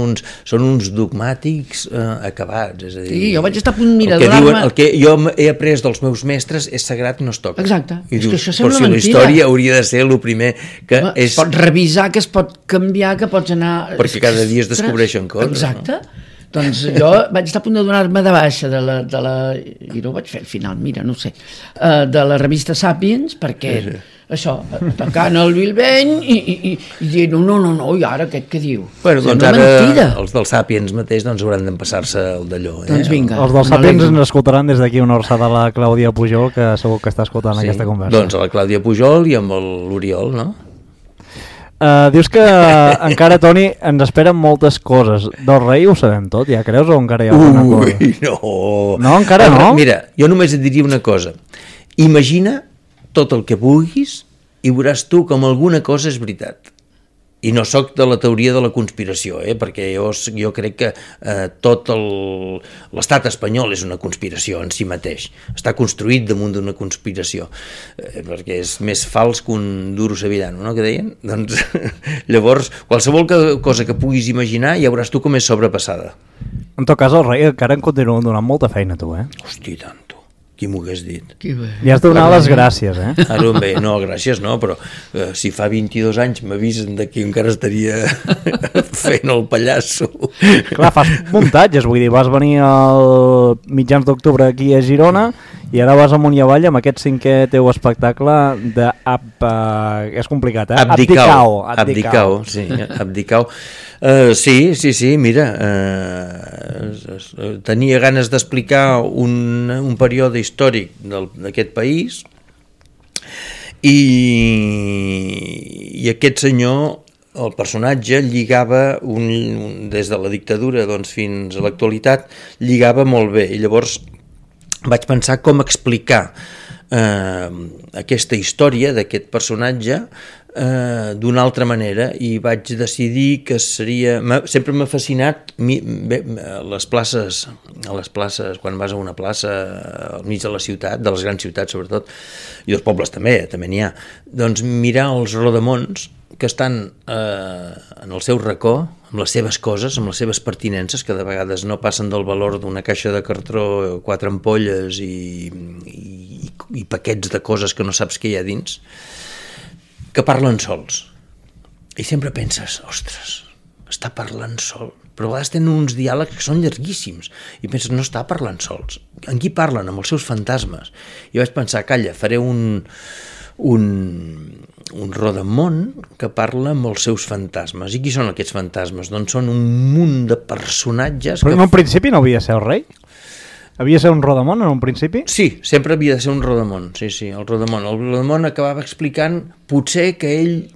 uns dogmàtics acabats, és a dir... Sí, jo vaig estar a punt, mira, el que jo he après dels meus mestres és sagrat, no es toca. Exacte, I és dius, que això sembla però si mentida. la història hauria de ser el primer que és... Es pot revisar, que es pot canviar, que pots anar... Perquè cada dia es descobreixen coses. Exacte. No? Doncs jo vaig estar a punt de donar-me de baixa de la i no ho vaig fer al final, mira, no ho sé, de la revista Sapiens, perquè això, atacant el Bilbeny i dient, no, i ara aquest què diu? Bueno, doncs ara mentida. Els del Sapiens mateix hauran d'empassar-se el d'allò. Doncs vinga. Els del Sapiens ens escoltaran des d'aquí una orçada a la Clàudia Pujol, que segur que està escoltant aquesta conversa. Doncs a la Clàudia Pujol i amb l'Oriol, no? Dius que encara, Toni, ens esperen moltes coses. Del rei ho sabem tot, ja creus, o encara hi ha alguna cosa? No. No, encara no? Mira, jo només et diria una cosa. Imagina tot el que vulguis i veuràs tu com alguna cosa és veritat. I no sóc de la teoria de la conspiració, perquè jo crec que tot l'estat espanyol és una conspiració en si mateix. Està construït damunt d'una conspiració, perquè és més fals que un duro sevillano, no?, que deien? Doncs llavors, qualsevol cosa que puguis imaginar ja veuràs tu com és sobrepassada. En tot cas, el rei encara en continua donant molta feina, tu, Hosti, tant. Qui m'ho hagués dit? Li has de donar les gràcies, Ara bé, no, gràcies no, però si fa 22 anys m'avisen que encara estaria fent el pallasso. Clar, fas muntatges, vull dir, vas venir al mitjans d'octubre aquí a Girona i ara vas amunt i avall amb aquest 5è teu espectacle de és complicat, Abdicau, sí, Abdicau. Sí, mira, tenia ganes d'explicar un període històric d'aquest país i aquest senyor, el personatge, lligava des de la dictadura fins a l'actualitat, lligava molt bé, i llavors vaig pensar com explicar aquesta història d'aquest personatge d'una altra manera, i vaig decidir que seria... Sempre m'ha fascinat a les places, quan vas a una plaça al mig de la ciutat, de les grans ciutats sobretot, i els pobles també n'hi ha, doncs mirar els rodamons que estan en el seu racó, amb les seves coses, amb les seves pertinences, que de vegades no passen del valor d'una caixa de cartró, 4 ampolles i paquets de coses que no saps què hi ha dins, que parlen sols. I sempre penses, ostres, està parlant sol. Però a vegades tenen uns diàlegs que són llarguíssims. I penses, no està parlant sols. En qui parlen? Amb els seus fantasmes. I vaig pensar, calla, faré un rodamón que parla amb els seus fantasmes. I qui són aquests fantasmes? Doncs són un munt de personatges... Però en un principi no havia de ser el rei? Havia de ser un rodamón en un principi? Sí, sempre havia de ser un rodamón, sí, el rodamón. El rodamón acabava explicant potser que ell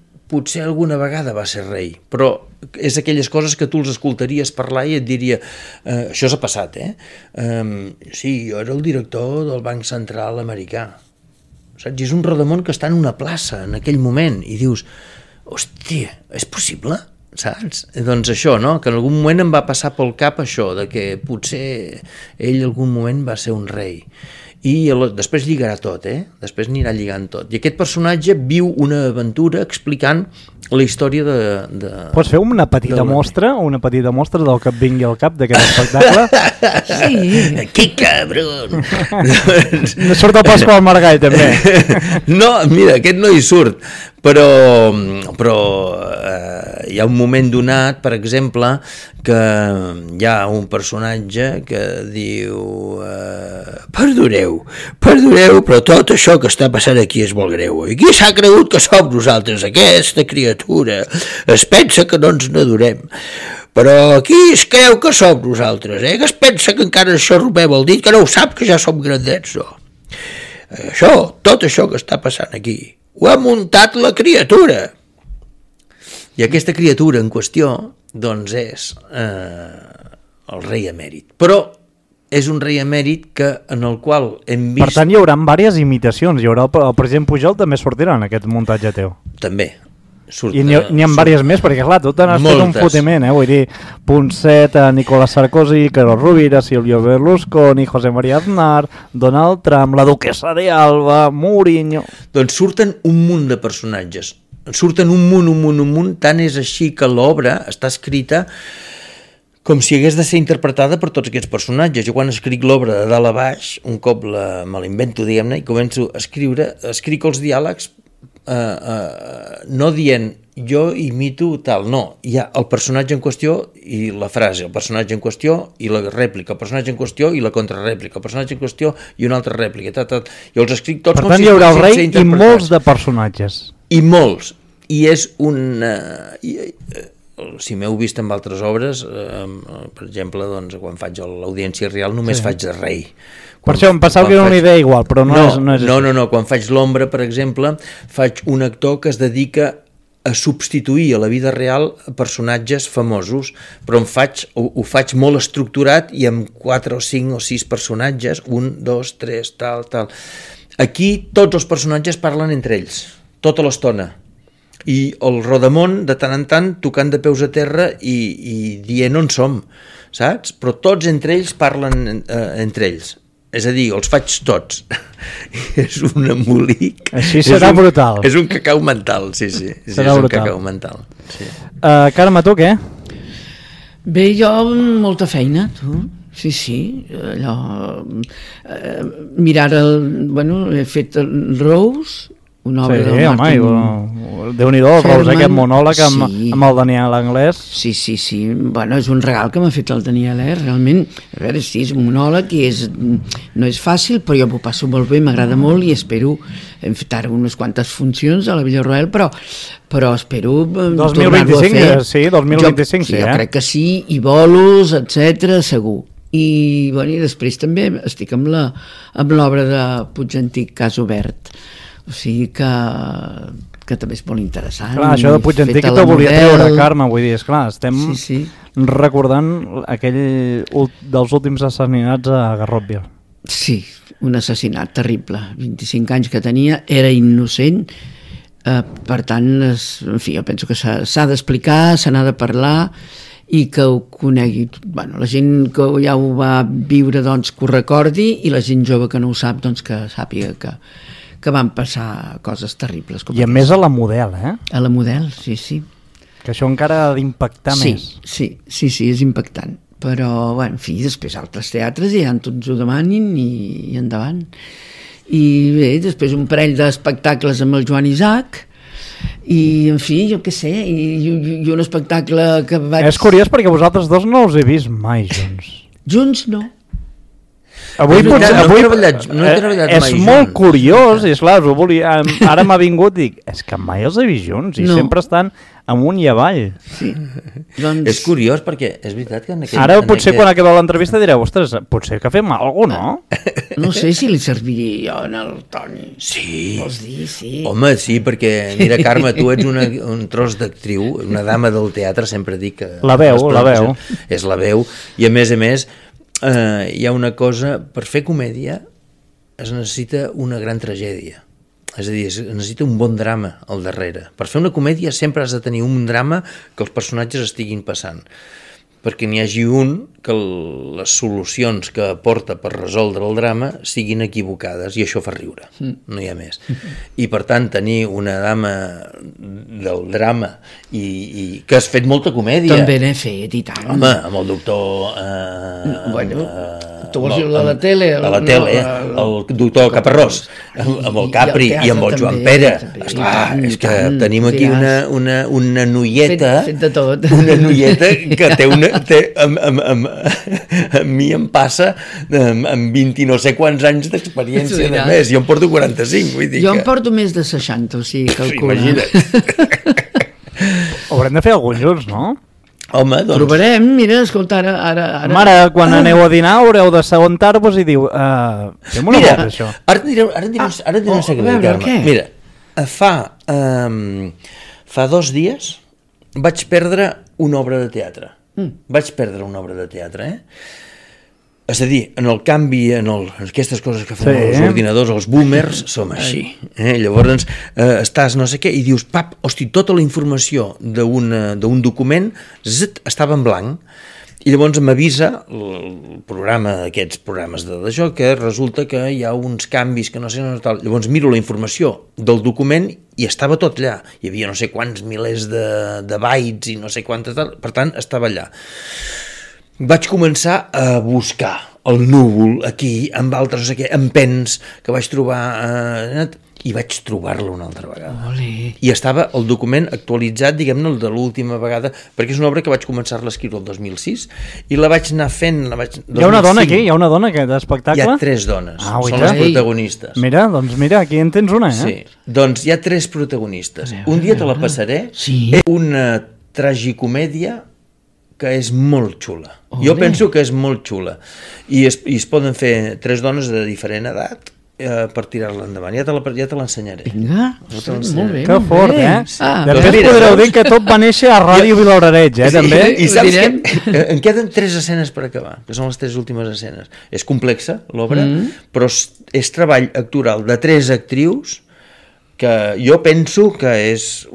alguna vegada va ser rei, però és aquelles coses que tu els escoltaries parlar i et diria, això s'ha passat, sí, jo era el director del Banc Central americà, saps? I és un rodamón que està en una plaça en aquell moment i dius, hòstia, és possible? Saps? Doncs això, no? Que en algun moment em va passar pel cap això, de que potser ell algun moment va ser un rei. I després lligarà tot, després anirà lligant tot. I aquest personatge viu una aventura explicant la història de... Pots fer una petita mostra del que et vingui al cap d'aquest espectacle? Sí. Que cabron! No surt el Pasqual Margall, també. No, mira, aquest no hi surt, però hi ha un moment donat, per exemple, que hi ha un personatge que diu perdoneu, però tot això que està passant aquí és molt greu. I qui s'ha cregut que som nosaltres? Aquesta criatura es pensa que no ens n'adorem. Però qui es creu que som nosaltres? Que es pensa que encara ens xarrupem el dit, que no ho sap que ja som grandets, no? Tot això que està passant aquí ho ha muntat la criatura. I aquesta criatura en qüestió, doncs, és el rei emèrit. Però és un rei emèrit en el qual hem vist... Per tant, hi haurà diverses imitacions. Hi haurà el president Pujol també sortirà en aquest muntatge teu. També. I n'hi ha diverses més, perquè clar, tu t'has fet un fotiment, vull dir, Ponseta, Nicolás Sarkozy, Carlos Rovira, Silvio Berlusconi, José María Aznar, Donald Trump, la duquesa de Alba, Mourinho... Doncs surten un munt de personatges, surten un munt, tant és així que l'obra està escrita com si hagués de ser interpretada per tots aquests personatges. Jo quan escric l'obra de dalt a baix, un cop me l'invento, diguem-ne, i començo a escriure, escric els diàlegs no dient jo imito tal, no, hi ha el personatge en qüestió i la frase, el personatge en qüestió i la rèplica, el personatge en qüestió i la contrarèplica, el personatge en qüestió i una altra rèplica, jo els escric tots. Per tant, hi haurà el rei i molts de personatges. I molts, i és un... si m'heu vist en altres obres, per exemple, doncs, quan faig l'Audiència Real només faig de rei. Per això em pensava que era una idea igual, però no és No, quan faig l'Ombra, per exemple, faig un actor que es dedica a substituir a la vida real personatges famosos, però ho faig molt estructurat i amb 4 o 5 o 6 personatges, 1, 2, 3, tal. Aquí tots els personatges parlen entre ells, tota l'estona. I el Rodamón, de tant en tant, tocant de peus a terra i dient on som, saps? Però tots entre ells parlen entre ells. És a dir, els faig tots. És un embolic. Així serà brutal. És un cacau mental, sí. Serà és brutal. Un cacau mental. Sí. Carme, tu què? Bé, jo molta feina, tu. Sí, allò... mirar he fet el Rose, una obra del Martin... home, Déu-n'hi-do, el Rose, aquest monòleg amb el Daniel Anglès. Sí, bueno, és un regal que m'ha fet el Daniel, realment. A veure, sí, és un monòleg i no és fàcil, però jo m'ho passo molt bé, m'agrada molt i espero, hem fet ara unes quantes funcions a la Villa Roel, però espero tornar-lo a fer. 2025, jo crec que sí, i bolos, etc, segur. I després també estic amb l'obra de Puig Antic, Cas Obert. O sigui que també és molt interessant. Clar, això de Puig Antic te volia treure, Carme, vull dir, esclar, estem recordant aquell dels últims assassinats a Garrotville. Sí, un assassinat terrible, 25 anys que tenia, era innocent, per tant, en fi, jo penso que s'ha d'explicar, se n'ha de parlar i que ho conegui, la gent que ja ho va viure, doncs, que ho recordi, i la gent jove que no ho sap, doncs, que sàpiga que van passar coses terribles. I a més a la Model, A la Model, sí. Que això encara ha d'impactar més. Sí, és impactant. Però, en fi, després altres teatres ja tots ho demanin i endavant. I bé, després un parell d'espectacles amb el Joan Isaac i, en fi, jo què sé, i un espectacle que vaig... És curiós perquè vosaltres dos no els he vist mai junts. Junts no. Avui no he treballat és mai molt curiós, i esclar, ara m'ha vingut i dic, és que mai els he vist junts i sempre estan amunt i avall. Sí. Doncs... És curiós perquè és veritat que ara potser quan acabeu l'entrevista direu, ostres, potser que fem alguna cosa, no? No sé si li serviria jo en el Toni. Sí. Vols dir, sí. Home, sí, perquè mira, Carme, tu ets un tros d'actriu, una dama del teatre, sempre dic que... La veu. És la veu, i a més, hi ha una cosa, per fer comèdia es necessita una gran tragèdia, és a dir, es necessita un bon drama al darrere. Per fer una comèdia sempre has de tenir un drama que els personatges estiguin passant, perquè n'hi hagi un que les solucions que aporta per resoldre el drama siguin equivocades, i això fa riure, no hi ha més. I per tant tenir una dama del drama i que has fet molta comèdia. També n'he fet, i tant. Home, amb el doctor... tu vols dir de la tele? De la tele, el doctor Caparrós, amb el Capri i amb el Joan Pere. Esclar, és que tenim aquí una noieta, fet de tot. Una noieta que té a mi em passa amb 20 no sé quants anys d'experiència de més. Jo em porto 45, vull dir jo em porto més de 60, o sigui, calcula. Imagina't. Haurem de fer alguns junts, no? Home, doncs... Provarem, mira, escolta, ara... Mare, quan aneu a dinar haureu de segontar-vos i diu... fem una volta, això. Ara et diré un secret, Carme. Mira, fa 2 dies vaig perdre una obra de teatre. Vaig perdre una obra de teatre, És a dir, en el canvi, en aquestes coses que fan els ordinadors, els boomers, som així. Llavors estàs no sé què i dius, pap, hosti, tota la informació d'un document estava en blanc. I llavors m'avisa el programa, aquests programes d'això, que resulta que hi ha uns canvis que no sé, tal. Llavors miro la informació del document i estava tot allà. Hi havia no sé quants milers de bytes i no sé quantes tal, per tant, estava allà. Vaig començar a buscar el núvol aquí, amb altres, no sé què, amb pens que vaig trobar, i vaig trobar-lo una altra vegada. Olé. I estava el document actualitzat, diguem-ne, el de l'última vegada, perquè és una obra que vaig començar-la a escriure el 2006, i la vaig anar fent... Hi ha una dona aquí? Hi ha una dona aquest espectacle? Hi ha 3 dones, són oita. les protagonistes. Mira, doncs mira, aquí en tens una, Sí, doncs hi ha 3 protagonistes. Un dia te la passaré. Sí. Una tragicomèdia que és molt xula. Jo penso que és molt xula. I es poden fer 3 dones de diferent edat per tirar-la endavant. Ja te l'ensenyaré. Vinga, molt bé. Que fort, bé. Després podreu dir que tot va néixer a Ràdio Vilaoreig, també. I saps què? Em queden 3 escenes per acabar, que són les 3 últimes escenes. És complexa, l'obra, però és treball actoral de 3 actrius que jo penso que és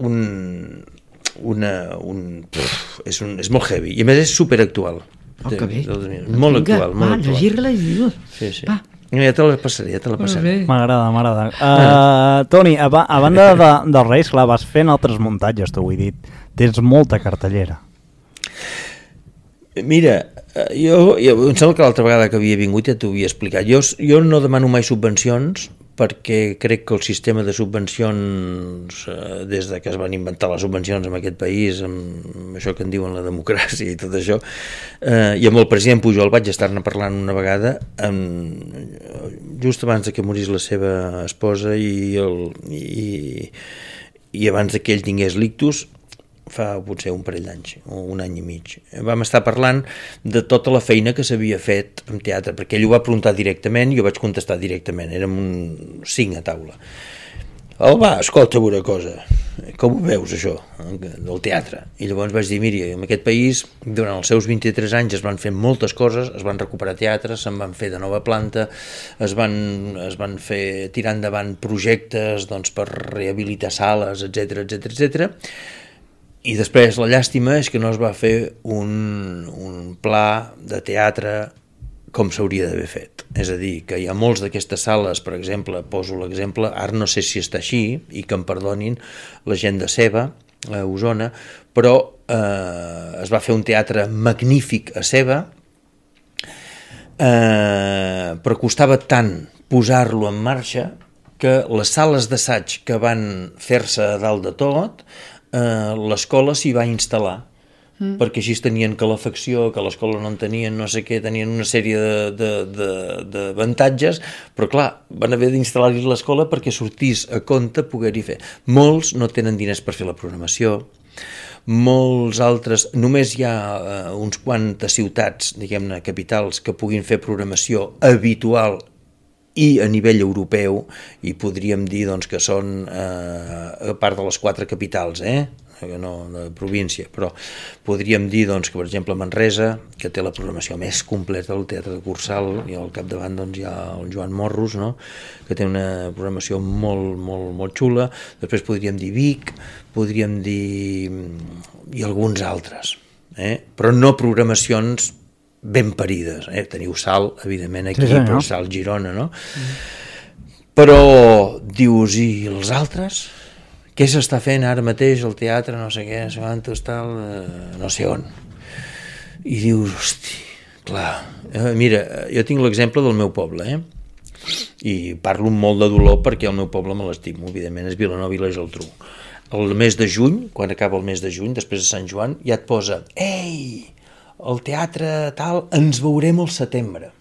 és molt heavy i a més és superactual. Que bé. Molt actual, molt actual. Llegir-la i dir-ho. Sí. Ja te la passaré, M'agrada. Toni, a banda dels Reis, clar, vas fent altres muntatges, t'ho he dit. Tens molta cartellera. Mira, jo em sembla que l'altra vegada que havia vingut ja t'ho havia explicat. Jo no demano mai subvencions perquè crec que el sistema de subvencions, des de que es van inventar les subvencions en aquest país, amb això que en diuen la democràcia i tot això, i amb el president Pujol vaig estar-ne parlant una vegada, just abans que morís la seva esposa i abans que ell tingués l'ictus, fa potser un parell d'anys o un any i mig. Vam estar parlant de tota la feina que s'havia fet en teatre, perquè ell ho va preguntar directament i jo vaig contestar directament, érem 5 a taula. Escolta una cosa, com ho veus això del teatre? I llavors vaig dir, miri, en aquest país durant els seus 23 anys es van fer moltes coses, es van recuperar teatres, se'n van fer de nova planta, es van fer tirar endavant projectes per rehabilitar sales, etc. I després la llàstima és que no es va fer un pla de teatre com s'hauria d'haver fet. És a dir, que hi ha molts d'aquestes sales, per exemple, poso l'exemple, ara no sé si està així, i que em perdonin la gent de Seva, a Osona, però es va fer un teatre magnífic a Seva, però costava tant posar-lo en marxa que les sales d'assaig que van fer-se a dalt de tot, l'escola s'hi va instal·lar, perquè així tenien calefacció, que l'escola no en tenien, no sé què, tenien una sèrie d'avantatges, però clar, van haver d'instal·lar-hi l'escola perquè sortís a compte poder-hi fer. Molts no tenen diners per fer la programació, molts altres, només hi ha uns quantes ciutats, diguem-ne, capitals, que puguin fer programació habitual i a nivell europeu, i podríem dir que són a part de les 4 capitals, no de província, però podríem dir que, per exemple, Manresa, que té la programació més completa del Teatre de Cursal, i al capdavant hi ha el Joan Morros, no? Que té una programació molt xula. Després podríem dir Vic, podríem dir i alguns altres, però no programacions ben parides. Teniu Sal, evidentment, aquí, sí, però Sal Girona, no? Però dius, i els altres? Què s'està fent ara mateix al teatre, no sé què, no sé on? I dius, hosti, clar, mira, jo tinc l'exemple del meu poble, i parlo amb molt de dolor perquè el meu poble me l'estimo, evidentment, és Vilanova i la Geltrú. El mes de juny, quan acaba el mes de juny, després de Sant Joan, ja et posa, ei, el teatre tal, ens veurem al setembre.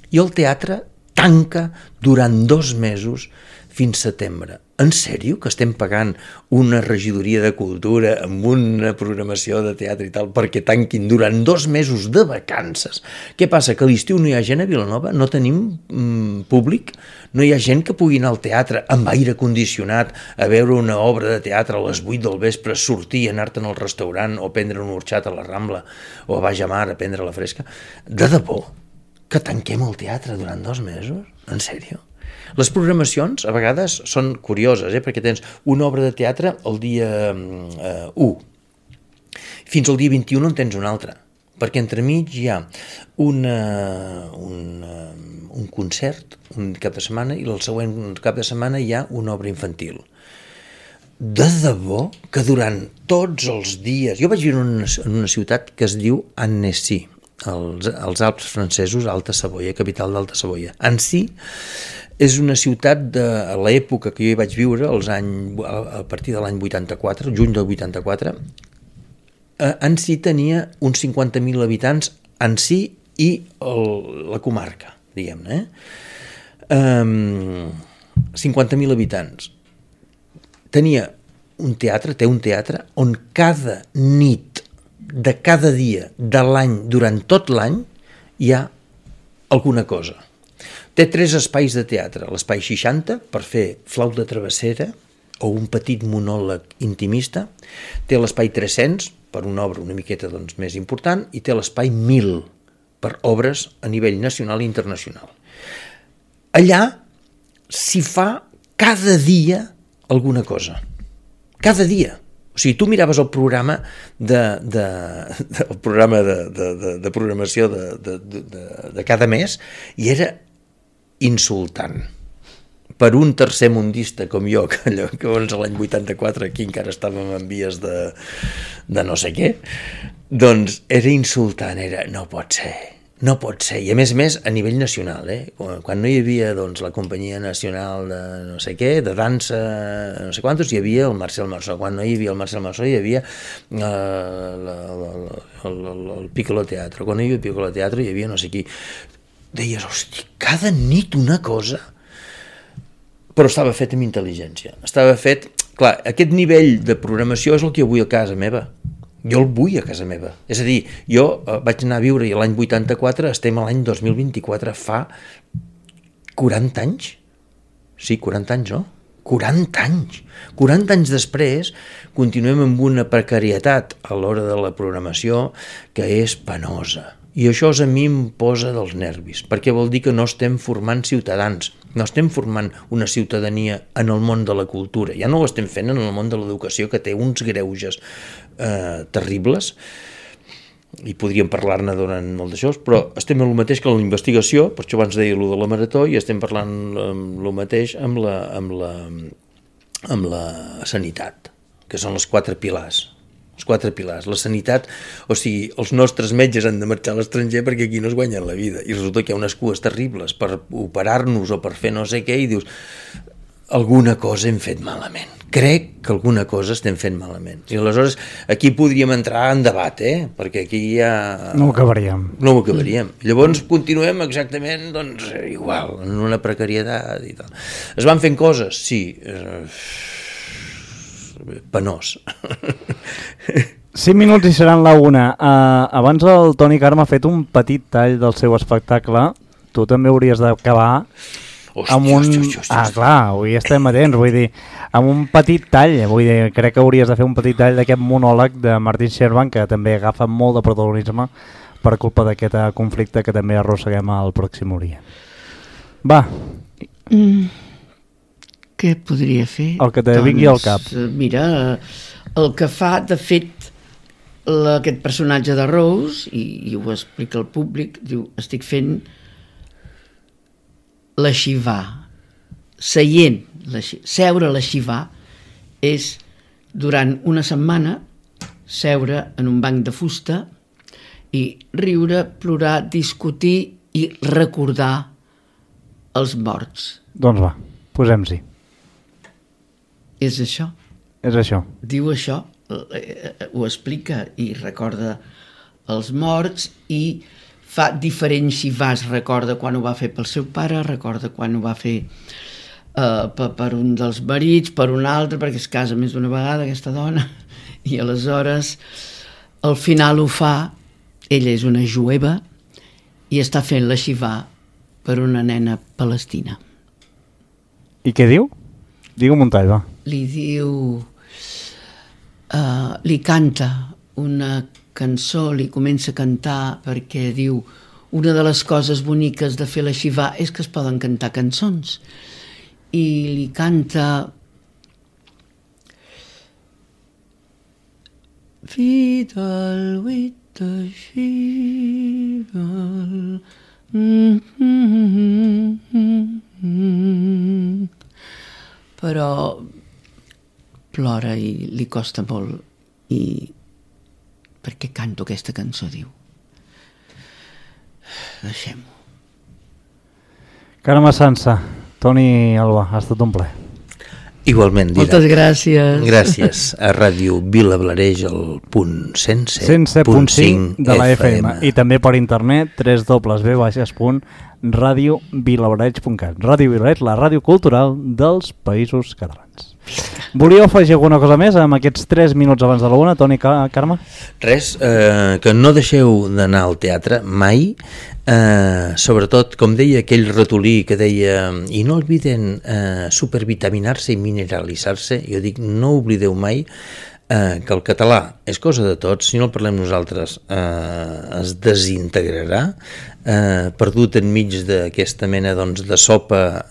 I el teatre tanca durant 2 mesos fins setembre. En sèrio que estem pagant una regidoria de cultura amb una programació de teatre i tal perquè tanquin durant 2 mesos de vacances? Què passa? Que a l'estiu no hi ha gent a Vilanova? No tenim públic? No hi ha gent que pugui anar al teatre amb aire condicionat a veure una obra de teatre a les 8 del vespre, sortir i anar-te'n al restaurant o prendre un orxat a la Rambla o a Baix a Mar a prendre la fresca? De debò? que tanquem el teatre durant 2 mesos? En sèrio? Les programacions a vegades són curioses, perquè tens una obra de teatre el dia 1, fins al dia 21 en tens una altra, perquè entremig hi ha un concert un cap de setmana i el següent cap de setmana hi ha una obra infantil. De debò que durant tots els dies... Jo vaig viure en una ciutat que es diu Annecy, als Alps francesos, Alta Savoia, capital d'Alta Savoia. Annecy és una ciutat de l'època que jo hi vaig viure, a partir de l'any 84, juny del 84. Annecy tenia uns 50.000 habitants, Annecy i la comarca, diguem-ne. 50.000 habitants. Té un teatre on cada nit de cada dia de l'any, durant tot l'any, hi ha alguna cosa. Té 3 espais de teatre, l'espai 60 per fer flauta travessera o un petit monòleg intimista, té l'espai 300 per una obra una miqueta més important i té l'espai 1000 per obres a nivell nacional i internacional. Allà s'hi fa cada dia alguna cosa. Cada dia. O sigui, tu miraves el programa el programa de programació de cada mes i era insultant. Per un tercermundista com jo, que l'any 84 aquí encara estàvem en vies de no sé què, doncs era insultant, no pot ser. No pot ser, i a més a nivell nacional, quan no hi havia la companyia nacional de no sé què, de dansa, no sé quantos, hi havia el Marcel Marceau, quan no hi havia el Marcel Marceau hi havia el Piccolo Teatro, quan no hi havia el Piccolo Teatro hi havia no sé qui. Deies, hosti, cada nit una cosa, però estava fet amb intel·ligència, estava fet, clar, aquest nivell de programació és el que jo vull a casa meva. Jo el vull a casa meva. És a dir, jo vaig anar a viure l'any 84, estem a l'any 2024, fa 40 anys? Sí, 40 anys, no? 40 anys! 40 anys després continuem amb una precarietat a l'hora de la programació que és penosa. I això a mi em posa dels nervis, perquè vol dir que no estem formant ciutadans, no estem formant una ciutadania en el món de la cultura, ja no ho estem fent en el món de l'educació, que té uns greuges terribles, i podríem parlar-ne durant molt d'això, però estem en el mateix que en la investigació, per això abans deia allò de la marató, i estem parlant el mateix amb la sanitat, que són els 4 pilars. Els 4 pilars. La sanitat, o sigui, els nostres metges han de marxar a l'estranger perquè aquí no es guanyen la vida, i resulta que hi ha unes cues terribles per operar-nos o per fer no sé què, i dius, alguna cosa hem fet malament. Crec que alguna cosa estem fent malament. I aleshores aquí podríem entrar en debat, perquè aquí ja... No ho acabaríem. No ho acabaríem. Llavors continuem exactament igual, en una precarietat i tal. Es van fent coses? Sí. Penós. 5 minuts i seran la 1. Abans el Toni Carme ha fet un petit tall del seu espectacle. Tu també hauries d'acabar amb un... clar, avui estem atents, vull dir, amb un petit tall, vull dir, crec que hauries de fer un petit tall d'aquest monòleg de Martin Scherban, que també agafa molt de protagonisme per culpa d'aquest conflicte que també arrosseguem al Pròxim Orient. Va. Què podria fer? El que te vingui al cap. Mira, el que fa, de fet, aquest personatge de Rose, i ho explica al públic, diu, estic fent la Shiva. Seure a la Shiva és, durant una setmana, seure en un banc de fusta i riure, plorar, discutir i recordar els morts. Doncs va, posem-s'hi. És això. És això. Diu això, ho explica i recorda els morts i fa diferents xivars. Recorda quan ho va fer pel seu pare, recorda quan ho va fer per un dels marits, per un altre, perquè es casa més d'una vegada aquesta dona, i aleshores al final ho fa, ella és una jueva i està fent la xivà per una nena palestina. I què diu? Digue'm un tall, va. Li diu... li canta una cançó, li comença a cantar perquè diu una de les coses boniques de fer la Shivà és que es poden cantar cançons. I li canta Vidal Vita Shival però plora i li costa molt i per què canto aquesta cançó, diu. Deixem-ho. Carme Sansa, Toni Alba, ha estat un plaer. Igualment, Didac. Moltes gràcies. Gràcies a Ràdio Vilablareix, el punt 107.5 de la FM. I també per internet, www.radiovilablareix.cat. Ràdio Vilablareix, la ràdio cultural dels Països Catalans. Volíeu afegir alguna cosa més amb aquests 3 minuts abans de la una, Toni, Carme? Res, que no deixeu d'anar al teatre mai, sobretot, com deia aquell ratolí que deia, i no olviden supervitaminar-se i mineralitzar-se, jo dic, no oblideu mai que el català és cosa de tots, si no el parlem nosaltres es desintegrarà, perdut enmig d'aquesta mena de sopa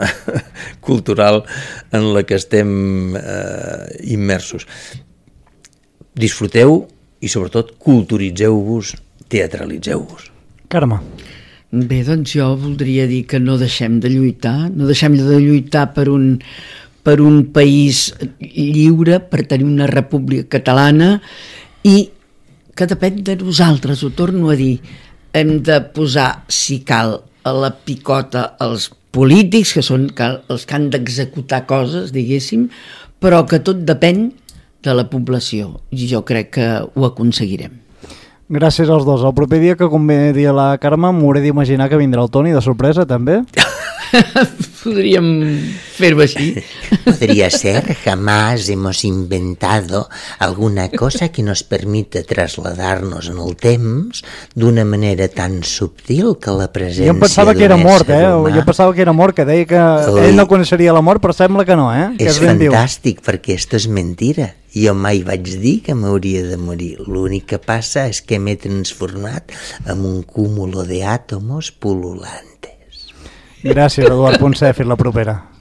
cultural en la que estem immersos. Disfruteu i sobretot culturitzeu-vos, teatralitzeu-vos. Carme. Bé, doncs jo voldria dir que no deixem de lluitar, per un país lliure, per tenir una república catalana i que depèn de nosaltres, ho torno a dir, hem de posar, si cal, a la picota els polítics, que són els que han d'executar coses, diguéssim, però que tot depèn de la població i jo crec que ho aconseguirem. Gràcies als dos. El proper dia que convé dir a la Carme m'hauré d'imaginar que vindrà el Toni de sorpresa, també. Podríem fer-ho així. Podría ser, jamás hemos inventado alguna cosa que nos permita trasladarnos en el temps d'una manera tan subtil que la presència jo em pensava que era mort, humà... Jo pensava que era mort, que deia que ell no coneixeria la mort, però sembla que no, que és fantàstic, perquè esto és mentira. Jo mai vaig dir que m'hauria de morir. L'únic que passa és que m'he transformat en un cúmulo de átomos pululantes. Gràcies, Eduard Poncé. Fins la propera.